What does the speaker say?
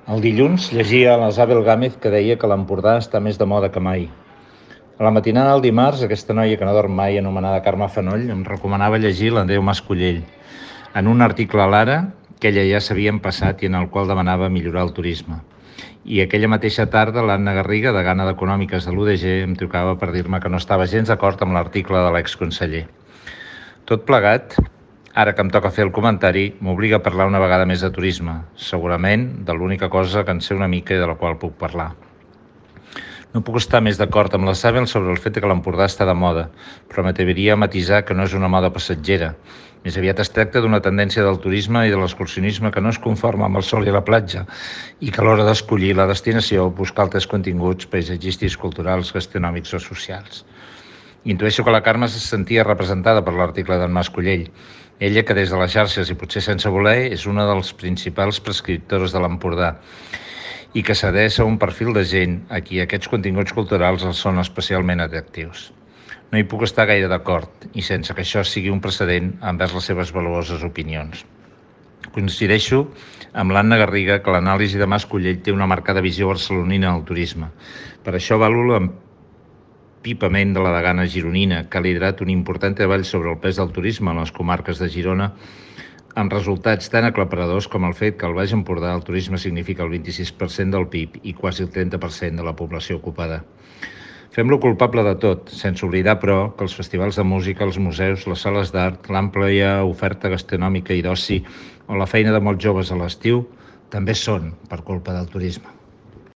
El dilluns llegia a l'Isabel Gámez que deia que l'Empordà està més de moda que mai. A la matinada del dimarts, aquesta noia que no dorm mai, anomenada Carme Fanoll, em recomanava llegir l'Andreu Mascollell, en un article a l'Ara que ella ja s'havia empassat i en el qual demanava millorar el turisme. I aquella mateixa tarda l'Anna Garriga, degana d'Econòmiques de l'UDG, em trucava per dir-me que no estava gens d'acord amb l'article de l'exconseller. Tot plegat, ara que em toca fer el comentari, m'obliga a parlar una vegada més de turisme, segurament de l'única cosa que en sé una mica i de la qual puc parlar. No puc estar més d'acord amb la Isabel sobre el fet que l'Empordà està de moda, però m'atreviria a matisar que no és una moda passatgera. Més aviat es tracta d'una tendència del turisme i de l'excursionisme que no es conforma amb el sol i la platja i que a l'hora d'escollir la destinació busca altres continguts paisatgístics, culturals, gastronòmics o socials. Intueixo que la Carme se sentia representada per l'article d'en Mascollell. Ella, que des de les xarxes i potser sense voler, és una dels principals prescriptors de l'Empordà i que s'adreça a un perfil de gent a qui aquests continguts culturals els són especialment atractius. No hi puc estar gaire d'acord i sense que això sigui un precedent envers les seves valuoses opinions. Coincideixo amb l'Anna Garriga que l'anàlisi de Mascollell té una marcada visió barcelonina al turisme. Per això valo l'empipament de la degana gironina, que ha liderat un important treball sobre el pes del turisme en les comarques de Girona, amb resultats tan aclaparadors com el fet que al Baix Empordà el turisme significa el 26% del PIB i quasi el 30% de la població ocupada. Fem-lo culpable de tot, sense oblidar, però, que els festivals de música, els museus, les sales d'art, l'àmplia oferta gastronòmica i d'oci o la feina de molts joves a l'estiu també són per culpa del turisme.